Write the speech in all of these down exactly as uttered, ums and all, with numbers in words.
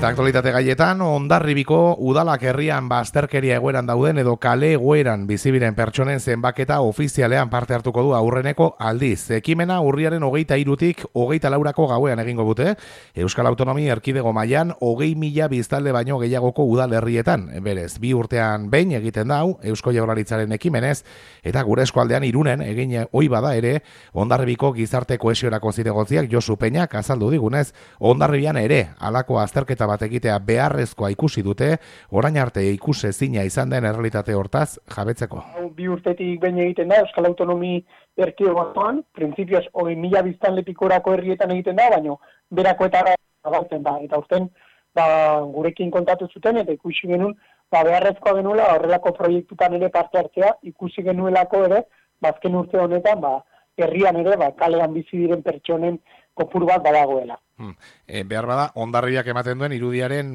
Eta aktualitate gaietan, Hondarribiko udalak herrian bazterkeria egoeran dauden edo kale egoeran bizibiren pertsonen zenbaketa ofizialean parte hartuko du aurreneko aldiz. Ekimena urriaren hogeita hirutik hogeita laurako gauean egingo dute, Euskal Autonomia Erkidego mailan hogei mila biztanle baino gehiagoko udalerrietan. Berez, bi urtean behin egiten dau, Eusko Jaurlaritzaren ekimenez, eta gure eskualdean Irunen egin ohi bada ere, Hondarribiko gizarte kohesiorako zinegotziak Josu Peñak azaldu digunez, Hondarribian ere halako azterketa bat egitea beharrezkoa ikusi dute, orain arte ikusezina izan den errealitate hortaz jabetzeko. Bi urtetik behin egiten da Euskal Autonomi Erkidegoan, printzipioz hogei mila biztanle pikorako herrietan egiten da, baina berakoetara zabaltzen da. Eta urten ba, gurekin kontatu zuten eta ikusi genuen ba, beharrezkoa genuela horrelako proiektutan ere parte hartzea, ikusi genuelako ere, bazken urte honetan, ba, herrian ere, ba, kalean bizi diren pertsonen kopuru bat badagoela. Hmm. E, behar bada, Hondarribiak ematen duen irudiaren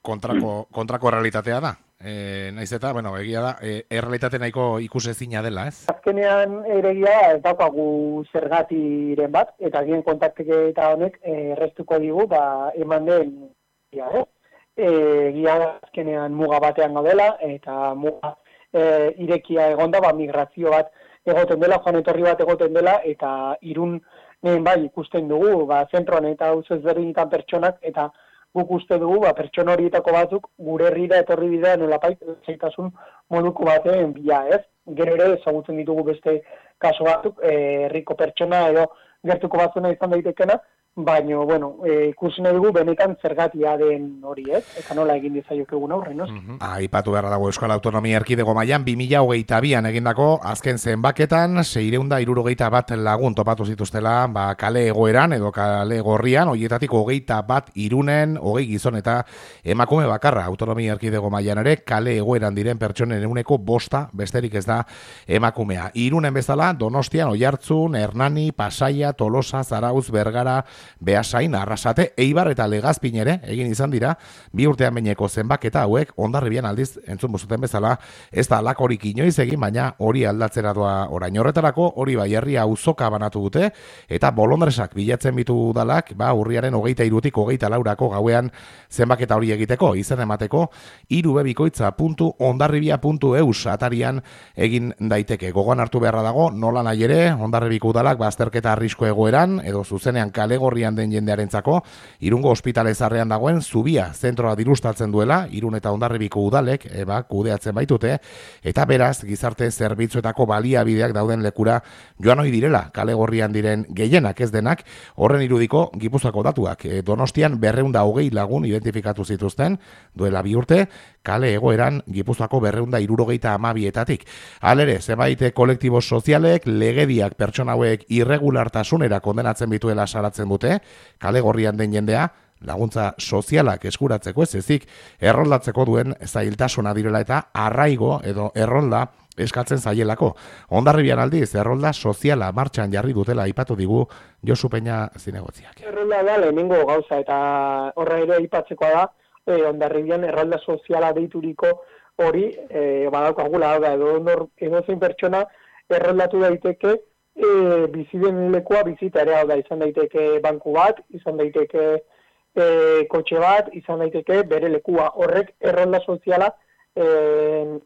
kontrako, kontrako realitatea da. E, naiz eta, bueno, egia da, e, errealitate nahiko ikusezina dela, ez? Azkenean ere egia ez daukagu zergatiren bat, eta gien kontakteketa honek errestuko digu, ba, eman den, ja, eh? Egia da azkenean muga batean gaudela, eta muga e, irekia egonda, ba, migrazio bat egoten dela, joan etorri bat egoten dela, eta Irun bai ikusten dugu, ba, zentroan eta hau ezberdinetan pertsonak, eta guk uste dugu, ba, pertsona horietako batzuk gure herrira etorri bidea nolapait zaitasun moduko baten bila, ez? Gero ere ezagutzen ditugu beste kaso batzuk, herriko pertsona edo gertuko batzuna izan daitekena, baina, bueno, e, ikusi nahi dugu benetan zergatia den hori, ez? Eta nola egin dizaiokegun aurren, no? Uh-huh. Aipatu beharra dago Euskal Autonomia Erkidego mailan bi mila hogeita bian egindako azken zenbaketan seiehun eta hirurogeita bat lagun topatu zituztela, ba, kale egoeran edo kale gorrian, horietatik hogeita bat Irunen, hogei gizon eta emakume bakarra. Autonomia Erkidego mailan ere kale egoeran diren pertsonen ehuneko bosta besterik ez da emakumea. Irunen bezala Donostian, Oiartzun, Hernani, Pasaia, Tolosa, Zarautz, Bergara, Beasain, Arrasate, Eibar eta Legazpin ere egin izan dira, bi urtean behineko zenbaketa hauek Hondarribian aldiz entzun bozuten bezala, ez da lakorik inoiz egin, baina hori aldatzera doa orain horretarako, hori bai herria auzoka banatu dute, eta bolondresak bilatzen bitu udalak, ba, urriaren hogeita hirutik hogeita laurako gauean zenbaketa hori egiteko, izen emateko, irubebikoitza puntu hondarribia puntu eus atarian egin daiteke. Gogoan hartu beharra dago, nola nahi ere, Hondarribiko udalak bazterketa arrisko egoeran, edo zuzenean kale gorrian den jendearentzako, Irungo ospitale zarrean dagoen zubia zentroa dirustatzen duela, Irun eta Hondarribiko udalek, eba, kudeatzen baitute, eta beraz, gizarte zerbitzuetako baliabideak dauden lekura joan ohi direla, kale gorrian diren gehienak ez denak, horren irudiko Gipuzkoako datuak. E, Donostian berrehun eta hogei lagun identifikatu zituzten, duela bi urte, kale egoeran Gipuzkoako berrehun eta hirurogeita hamabietatik. Halere, zenbait kolektibo sozialek, legediak pertsona hauek irregulartasunera kondenatzen bituela salatzen dute, kale gorrian den jendea, laguntza sozialak eskuratzeko ez ezik, erroldatzeko duen zailtasuna direla eta arraigo edo errolda eskatzen zaielako. Hondarribian aldiz, errolda soziala martxan jarri dutela aipatu digu Josu Peña zinegotziak. Errolda da lehenengo gauza eta horra ere aipatzekoa da, e, Hondarribian errolda soziala deituriko hori e, badaukagula da, edo, edo zein pertsona erroldatu daiteke e, biziden lekua bizita ere, hau da, izan daiteke banku bat, izan daiteke e, kotxe bat, izan daiteke bere lekua. Horrek errolda soziala e,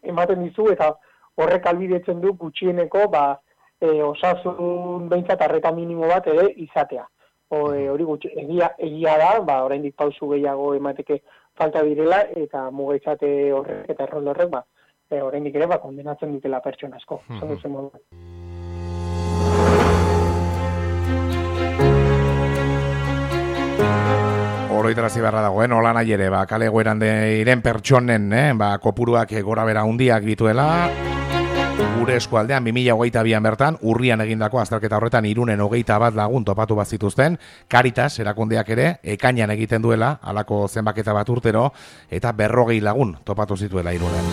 ematen dizu eta horrek albidetzen du gutxieneko ba, e, osasun behintzat arreta minimo bat ere izatea. O, e, hori gutxi, egia, egia da, ba, oraindik pausu gehiago emateke falta direla eta mugaitzate horrek eta errolda horrek, ba, e, oraindik ere ba, kondenatzen dutela pertsona asko. Mm-hmm. Oroitarazi beharra dagoen, hola nahi ere, ba, kale egoeran diren pertsonen, eh, ba, kopuruak gora bera hundiak dituela, gure eskualdean bi mila hogeita bian bertan, urrian egindako azterketa horretan Irunen hogeita bat lagun topatu bat zituzten, Caritas erakundeak ere, ekainan egiten duela, halako zenbaketa bat urtero, eta berrogei lagun topatu zituela Irunen.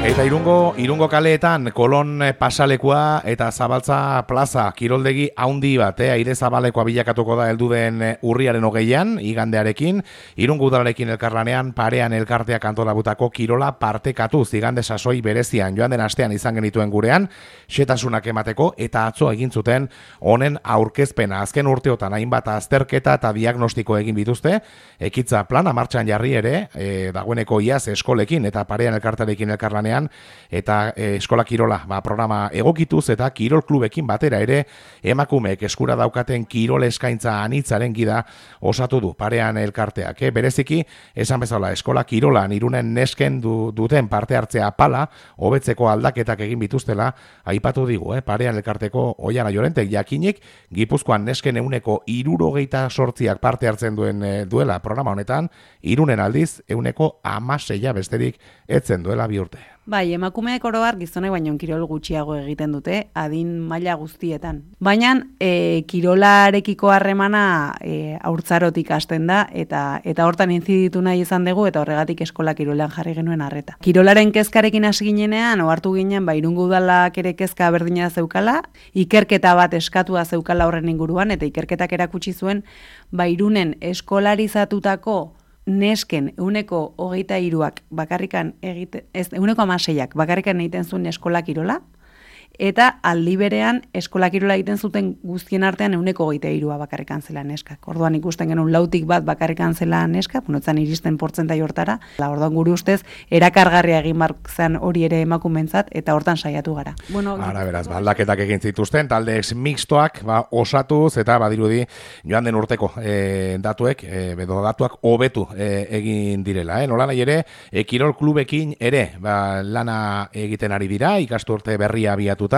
Eta irungo, irungo kaleetan kolon pasalekua eta zabaltza plaza kiroldegi haundi bat, eh? Aire zabalekoa bilakatuko da heldu den urriaren hogeian, igandearekin, irungo udalarekin elkarlanean, parean elkarteak antolabutako kirola partekatuz, igande sasoi berezian, joan den astean izan genituen gurean, xetasunak emateko eta atzo egin zuten honen aurkezpena. Azken urteotan hainbat azterketa eta diagnostiko egin bituzte, ekitza plana martxan jarri ere, e, dagoeneko iaz eskolekin eta parean elkartarekin elkarlanean, eta e, eskola kirola ba, programa egokituz eta kirol klubekin batera ere emakumeek eskura daukaten kirol eskaintza anitzaren gida osatu du parean elkarteak. E, bereziki, esan bezala, eskola kirolan Irunen nesken du, duten parte hartzea pala, hobetzeko aldaketak egin bituztela, aipatu digu, eh? Parean elkarteko Oiana Llorentek jakinik, Gipuzkoan nesken euneko hirurogeita sortziak parte hartzen duen e, duela programa honetan, Irunen aldiz euneko hamaseia besterik etzen duela bi urte. Bai, emakumeek oro har gizonek baino kirol gutxiago egiten dute, adin maila guztietan. Baina e, kirolarekiko harremana e, haurtzarotik hasten da, eta eta hortan inziditu nahi izan dugu, eta horregatik eskola kirolean jarri genuen arreta. Kirolaren kezkarekin hasi ginenean, ohartu ginen, ba, Irungo udalak ere kezka berdina zeukala, ikerketa bat eskatua zeukala horren inguruan, eta ikerketak erakutsi zuen, ba, Irunen eskolarizatutako nesken euneko hogeita hiruak bakarrikan egite, ez, euneko hamaseiak bakarrikan egiten zuen eskola kirola, eta aldi berean eskola kirola egiten zuten guztien artean euneko hogeita hirua bakarrikan zela neskak. Orduan ikusten genuen lautik bat bakarrikan zela neska, punotzan iristen portzentai hortara, la orduan guri ustez erakargarria egin bark zen hori ere emakumeentzat eta hortan saiatu gara. Bueno, ara beraz, ba, aldaketak egin zituzten, talde mixtoak ba, osatuz eta badirudi joan den urteko e, datuek, e, bedo datuak hobetu e, egin direla. Eh? Nola nahi ere, e, kirol klubekin ere ba, lana egiten ari dira, ikasturte berria abiatu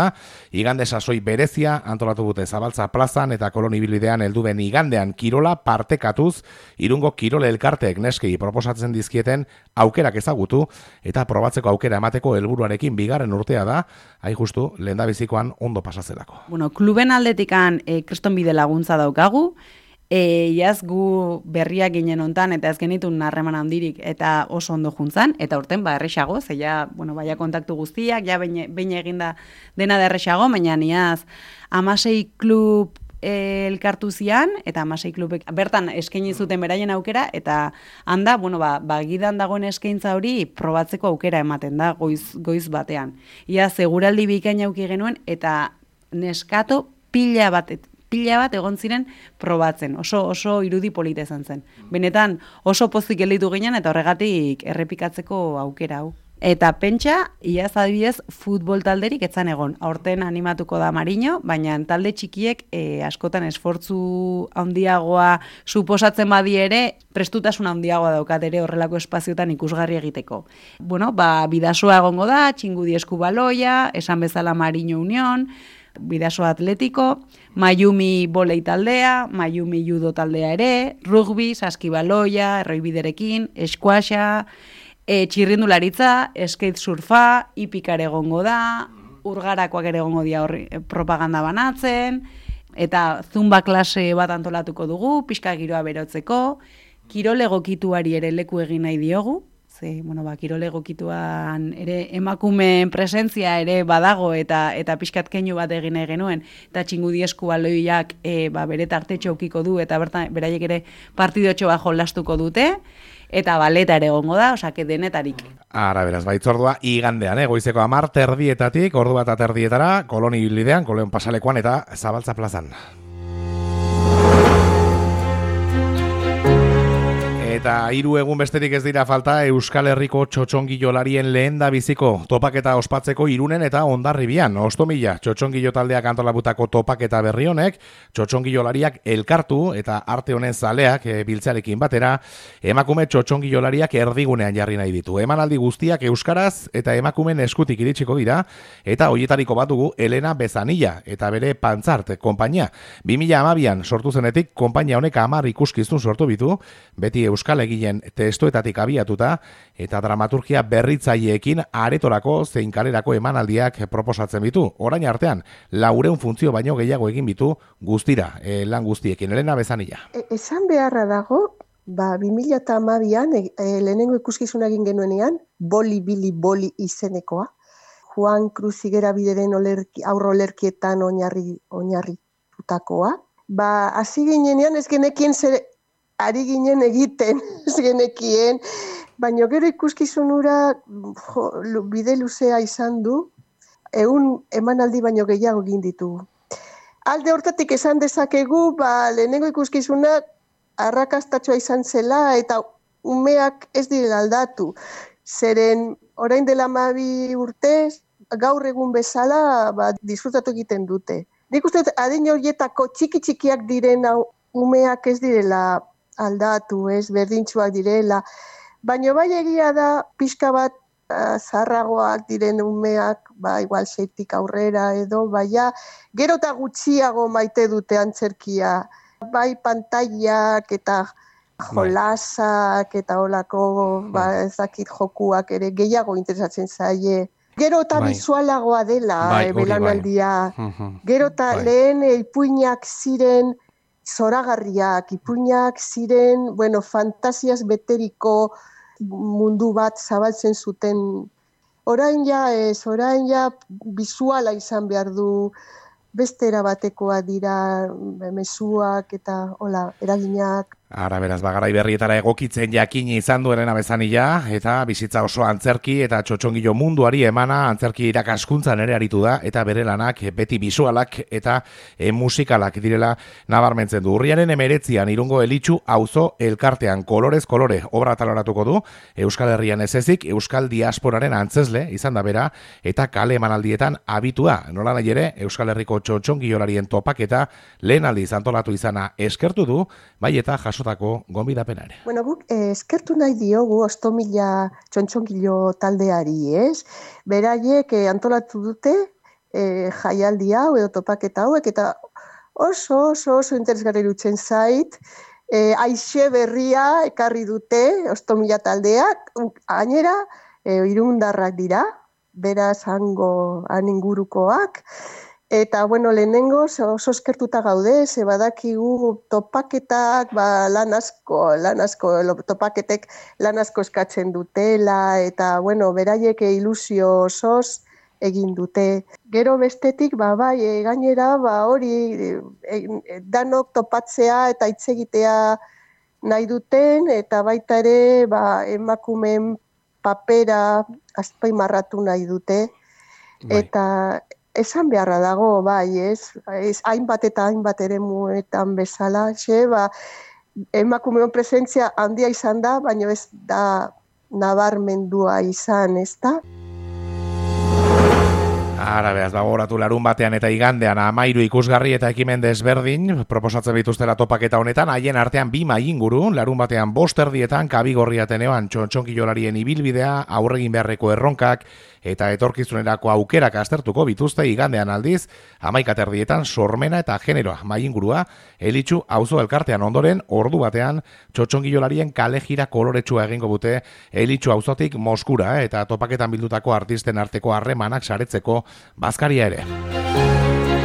igande sasoi berezia antolatu dute Zabaltza plazan eta kolonibidean heldu den igandean kirola partekatuz Irungo kirol elkarteek neskei proposatzen dizkieten aukerak ezagutu eta probatzeko aukera emateko helburuarekin bigarren urtea da, hain justu lehendabizikoan ondo pasazelako. Bueno, kluben aldetikan e, kristonbide laguntza daukagu, E, iaz gu berriak ginen hontan eta ez genitun harreman handirik eta oso ondo juntzan, eta urten ba erresago, ze ja, bueno, baia kontaktu guztiak, ja behin eginda dena da erresago, baina iaz hamasei klub e, elkartu zian, eta hamasei klubek bertan eskaini zuten beraien aukera, eta handa, bueno, ba, ba gidan dagoen eskaintza hori probatzeko aukera ematen da, goiz, goiz batean. Iaz seguraldi bikaina auki genuen, eta neskato pila batet, pila bat egon ziren probatzen, oso oso irudi polita izan zen. Benetan oso pozik gelditu ginen eta horregatik errepikatzeko aukera hau. Eta pentsa, iaz adibidez, futbol talderik etzan egon. Aurten animatuko da Mariño, baina talde txikiek e, askotan esfortzu handiagoa suposatzen badi ere, prestutasun handiagoa daukat ere horrelako espaziotan ikusgarri egiteko. Bueno, ba, bidasoa egongo da, Txingudi Eskubaloia, esan bezala Mariño Unión, Bidaso Atletiko, Mayumi volei taldea, Mayumi judo taldea ere, rugby, saskibaloia, erroibiderekin, eskuaxa, e, txirrindularitza, skate surfa, hipikar egongo da, urgarakoak ere egongo dia horri propaganda banatzen, eta zumba klase bat antolatuko dugu, pixka giroa berotzeko, kirol egokituari ere leku egin nahi diogu, ze, bueno, ba, kirol egokituan ere emakumeen presentzia ere badago eta eta pixkat keinu bat egin nahi genuen, eta Txingudi Eskubaloiak e, ba, bere tartetxo ukiko du, eta bertan beraiek ere partidotxo bat jolastuko dute, eta baleta ere egongo da, osake denetarik. Ara, beraz, baitzordua igandean, eh? Goizeko hamar terdietatik, ordu bat aterdietara, kolonibidean, Koleon pasalekoan eta Zabaltza plazan. Eta hiru egun besterik ez dira falta Euskal Herriko txotxongilolarien lehen da biziko topaketa ospatzeko Irunen eta Hondarribian. Ostomila txotxongilo taldeak antolabutako topaketa berri honek, txotxongilolariak elkartu eta arte honen zaleak e, biltzarekin batera, emakume txotxongilolariak erdigunean jarri nahi ditu. Emanaldi guztiak euskaraz eta emakumen eskutik iritsiko dira, eta hoietariko bat dugu Elena Bezanilla eta bere Pantzart konpainia. bi mila hamabian sortu zenetik konpainia honek hamar ikuskizun sortu bitu, beti Euskal Euskal egilen testuetatik abiatuta eta dramaturgia berritzaileekin aretorako zein kalerako emanaldiak proposatzen bitu. Orain artean, laureun funtzio baino gehiago egin bitu guztira, e, lan guztiekin. Elena Bezanilla. E, esan beharra dago, Ba, bi mila hamabian e, e, lehenengo ikuskizuna egin genuenean, Boli Bili Boli izenekoa. Juan Cruz Higuera bideren olerki, aurro olerkietan oinarri, oinarritutakoa. Ba, hasi ginenean ez genekien zer ari ginen egiten, ez genekien, baina gero ikuskizunura jo, bide luzea izan du, ehun emanaldi baino gehiago egin ditugu. Alde hortatik esan dezakegu, ba, lehenengo ikuskizunak arrakastatxoa izan zela eta umeak ez direla aldatu. Zeren orain dela hamabi urtez, gaur egun bezala ba, disfrutatu egiten dute. Nik uste adin horietako txiki-txikiak diren umeak ez direla aldatu, ez berdintsuak direla. Baina bai egia da pixka bat zaharragoak diren umeak, ba, igual seitik aurrera edo, baina gero eta gutxiago maite dute antzerkia. Bai pantailak eta jolasak eta holako, ba, ez dakit jokuak ere gehiago interesatzen zaie. Gero eta bai. Bizualagoa dela bai, e, belanaldia. Bai. Gero eta bai. Lehen e, ipuinak ziren zoragarriak, ipuinak ziren, bueno, fantasiaz beteriko mundu bat zabaltzen zuten. Orain ja ez, orain ja bizuala izan behar du, beste erabatekoa dira mezuak eta hola, eraginak. Ara, beraz, bagarai berrietara egokitzen jakini izan dueren abezanila, eta bizitza oso antzerki eta txotxongilo munduari emana antzerki irakaskuntzan ere aritu da, eta bere lanak beti bisualak eta e, musikalak direla nabarmentzen du. Urriaren emeretzian Irungo Elitxu auzo elkartean kolorez kolore obra taloratuko du, Euskal Herrian ez ezik, Euskal Diasporaren antzesle izan da bera, eta kale emanaldietan abitua. Nola nahi ere, Euskal Herriko txotxongilolarien topaketa lehen aldiz antolatu izana eskertu du, bai eta jasotako gonbidapena ere. Bueno, guk eh, eskertu nahi diogu Ostomila txontxongilo taldeari, ez? Beraiek eh, antolatu dute eh, jaialdi hau edo topaketa hauek, eta oso, oso, oso interesgarri dutzen zait, eh, aixe berria ekarri dute Ostomila taldeak, gainera eh, irundarrak dira, beraz hango han ingurukoak. Eta, bueno, lehenengo oso eskertuta gaude, ze badakigu topaketak, ba, lan asko, lan asko, topaketek lan asko eskatzen dutela, eta, bueno, beraiek ilusio osoz egin dute. Gero bestetik, ba, bai, e, gainera, ba, hori, e, danok topatzea eta hitz egitea nahi duten, eta baita ere, ba, emakumeen papera azpimarratu nahi dute, bai. Eta esan beharra dago, bai, ez, ez hainbat eta hainbat eremuetan bezala, xe, ba, emakumeon presentzia handia izan da, baina ez da nabarmendua izan, ez da? Ara, behaz, bagoratu larun batean eta igandean amairu ikusgarri eta ekimen desberdin proposatzen bituztela topaketa honetan, haien artean bi mai inguru, larun batean bost erdietan, Kabigorri Ateneoan txontxonkilolarien ibilbidea, aurregin beharreko erronkak eta etorkizunerako aukerak aztertuko bituzte, igandean aldiz, hamaika erdietan sormena eta generoa mai ingurua, Elitxu auzo elkartean ondoren, ordu batean, txontxonkilolarien kale jira koloretsua egingo bute Elitxu auzotik Moskura, eta topaketan bildutako artisten arteko harremanak saretzeko bazkaria ere.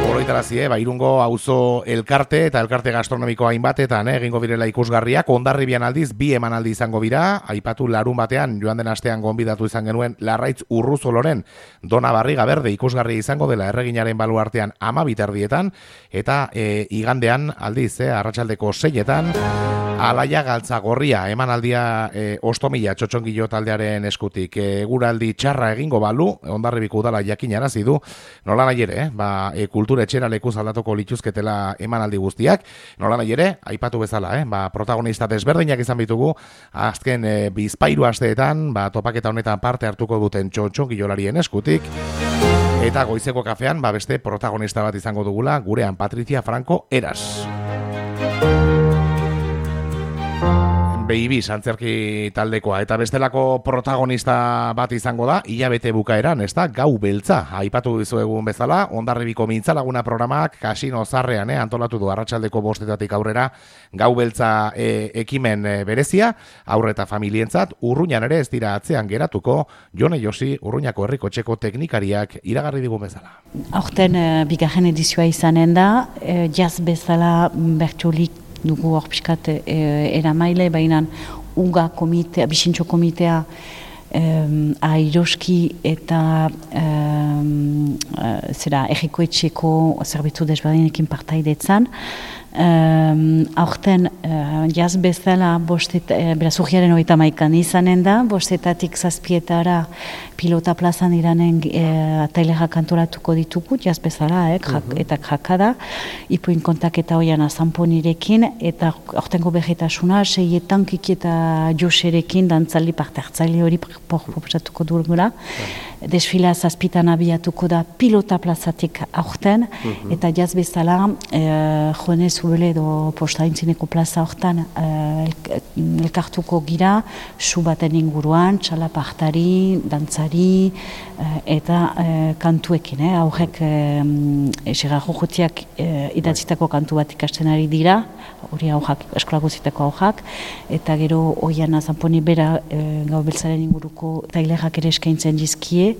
Oroitarazie, ba, Irungo auzo elkarte eta elkarte gastronomiko hainbatetan eh, egingo birela ikusgarriak, Hondarribian aldiz bi emanaldi izango bira, aipatu larun batean joan den astean gonbidatu izan genuen Larraitz Urruzoloren Dona Barriga Berde ikusgarri izango dela erreginaren baluartean amabit erdietan, eta e, igandean aldiz, eh, arratsaldeko seietan, Alaia Galtza Gorria emanaldia e, Ostomila txotxongilo taldearen eskutik. Eguraldi txarra egingo balu, Hondarribiko udala jakinarazi du, nola nahi ere, eh, ba, e, kultura etxera lekuz aldatuko lituzketela emanaldi guztiak, nola nahi ere, aipatu bezala, eh, ba, protagonista desberdinak izan bitugu, azken e, bizpairu asteetan, ba, topaketa honetan parte hartuko duten txotxongilolarien eskutik, eta goizeko kafean, ba, beste protagonista bat izango dugula, gurean Patricia Franco Eras. Beibis antzerki taldekoa, eta bestelako protagonista bat izango da, hilabete bukaeran, ez da, Gau Beltza. Aipatu dizuegun bezala, Hondarribiko Mintzalaguna programak Kasino Zarrean eh, antolatu du arratsaldeko bostetatik aurrera Gau Beltza eh, ekimen eh, berezia, aurre eta familientzat, Urruñan ere ez dira atzean geratuko, Jone Josi, Urruñako herriko txeko teknikariak iragarri digun bezala. Aurten uh, bigarren edizioa izanen da, uh, jazz bezala bertsolik dugu hor pixkat e, eramaile, baina uga komitea, bisintxo komitea, Um, airoski eta um, uh, zera errikoetxeko zerbitzu desberdinekin partaidetzan. Um, aurten uh, jaz bezala bostet, uh, beraz urriaren hogeita hamaikan izanen da, bostetatik zazpietara pilota plazan iranen uh, atailerak kantoratuko ditugu, jaz bezala, eh, jak, uh-huh. eta jakada, ipuin kontaketa hoian azanponirekin, eta aurtengo berretasuna, seietan kiki eta joserekin dantzaldi parte hartzaile hori proposatuko dugula. Uh-huh. Desfila zazpitan abiatuko da pilota plazatik aurten, uh-huh. eta jaz bezala, uh, joanez ubele edo posta intzineko plaza hortan uh, elkartuko gira, su baten inguruan, txalapartari, dantzari, uh, eta uh, kantuekin, eh? aurrek um, eserrajo jotiak uh, idatzitako kantu bat ikasten ari dira, hori aurrak, eskola guzitako aurrak, eta gero oian azanponi bera uh, gau beltzaren inguruko tailerak ere eskaintzen dizkie,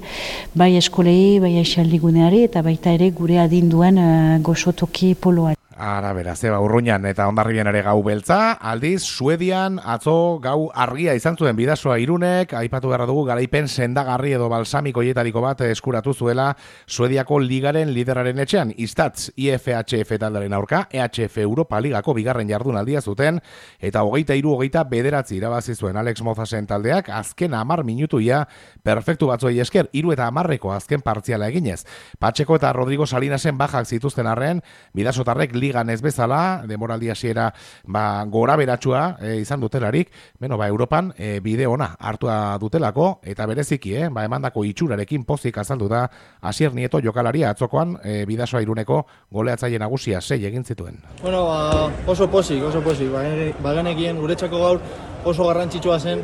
bai eskolei, bai aixaldiguneari, eta baita ere gure adinduen uh, goxotoki poloa. Ara, bera, zeba urruñan eta Hondarribian ere gau beltza, aldiz, Suedian atzo gau argia izan zuen Bidasoa Irunek, aipatu beharra dugu garaipen sendagarri edo balsamiko hietariko bat eskuratu zuela Suediako ligaren lideraren etxean, Istatz I F H F taldaren aurka, E H F Europa Ligako bigarren jardunaldia zuten, eta hogeita hiru hogeita bederatzi irabazi zuen Alex Mozasen taldeak, azken hamar minutuia perfektu batzuei esker, hiru eta hamarreko azken partziala eginez. Patxeko eta Rodrigo Salinasen bajak zituzten arren, Bidasotarrek ligan ez bezala, demoraldi hasiera ba, gora beratsua e, izan dutelarik, beno, ba, Europan e, bide ona hartua dutelako, eta bereziki, eh, ba, emandako itxurarekin pozik azaldu da Asier Nieto jokalaria atzokoan e, Bidasoa Iruneko goleatzaile nagusia sei egin zituen. Bueno, ba, oso pozik, oso pozik, ba, ba genekien guretzako gaur oso garrantzitsua zen,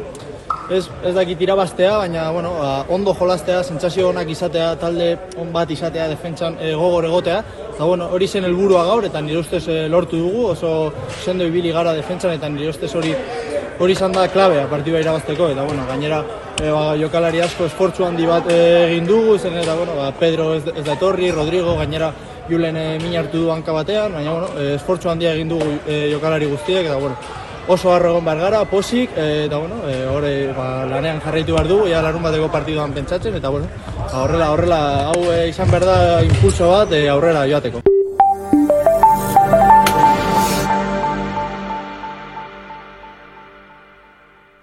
Ez, ez dakit irabaztea, baina bueno, ba, ondo jolastea, sentsazio onak izatea, talde on bat izatea, defentsan e, gogor egotea. Eta bueno, hori zen helburua gaur, eta nire ustez e, lortu dugu, oso sendo ibili gara defentsan, eta nire ustez hori hori izan da klabea partida irabazteko, eta bueno, gainera e, ba, jokalari asko esfortzu handi bat e, egin dugu, zen eta bueno, ba, Pedro ez, ez da etorri, Rodrigo, gainera Julen e, min hartu du hanka batean, baina bueno, e, esfortzu handia egin dugu e, jokalari guztiek, eta bueno, oso harro egon behar gara, posik, e, eta bueno, e, hori ba, lanean jarraitu behar dugu, ja larun bateko partiduan pentsatzen, eta bueno, horrela, horrela, hau e, izan behar da impulso bat e, aurrera joateko.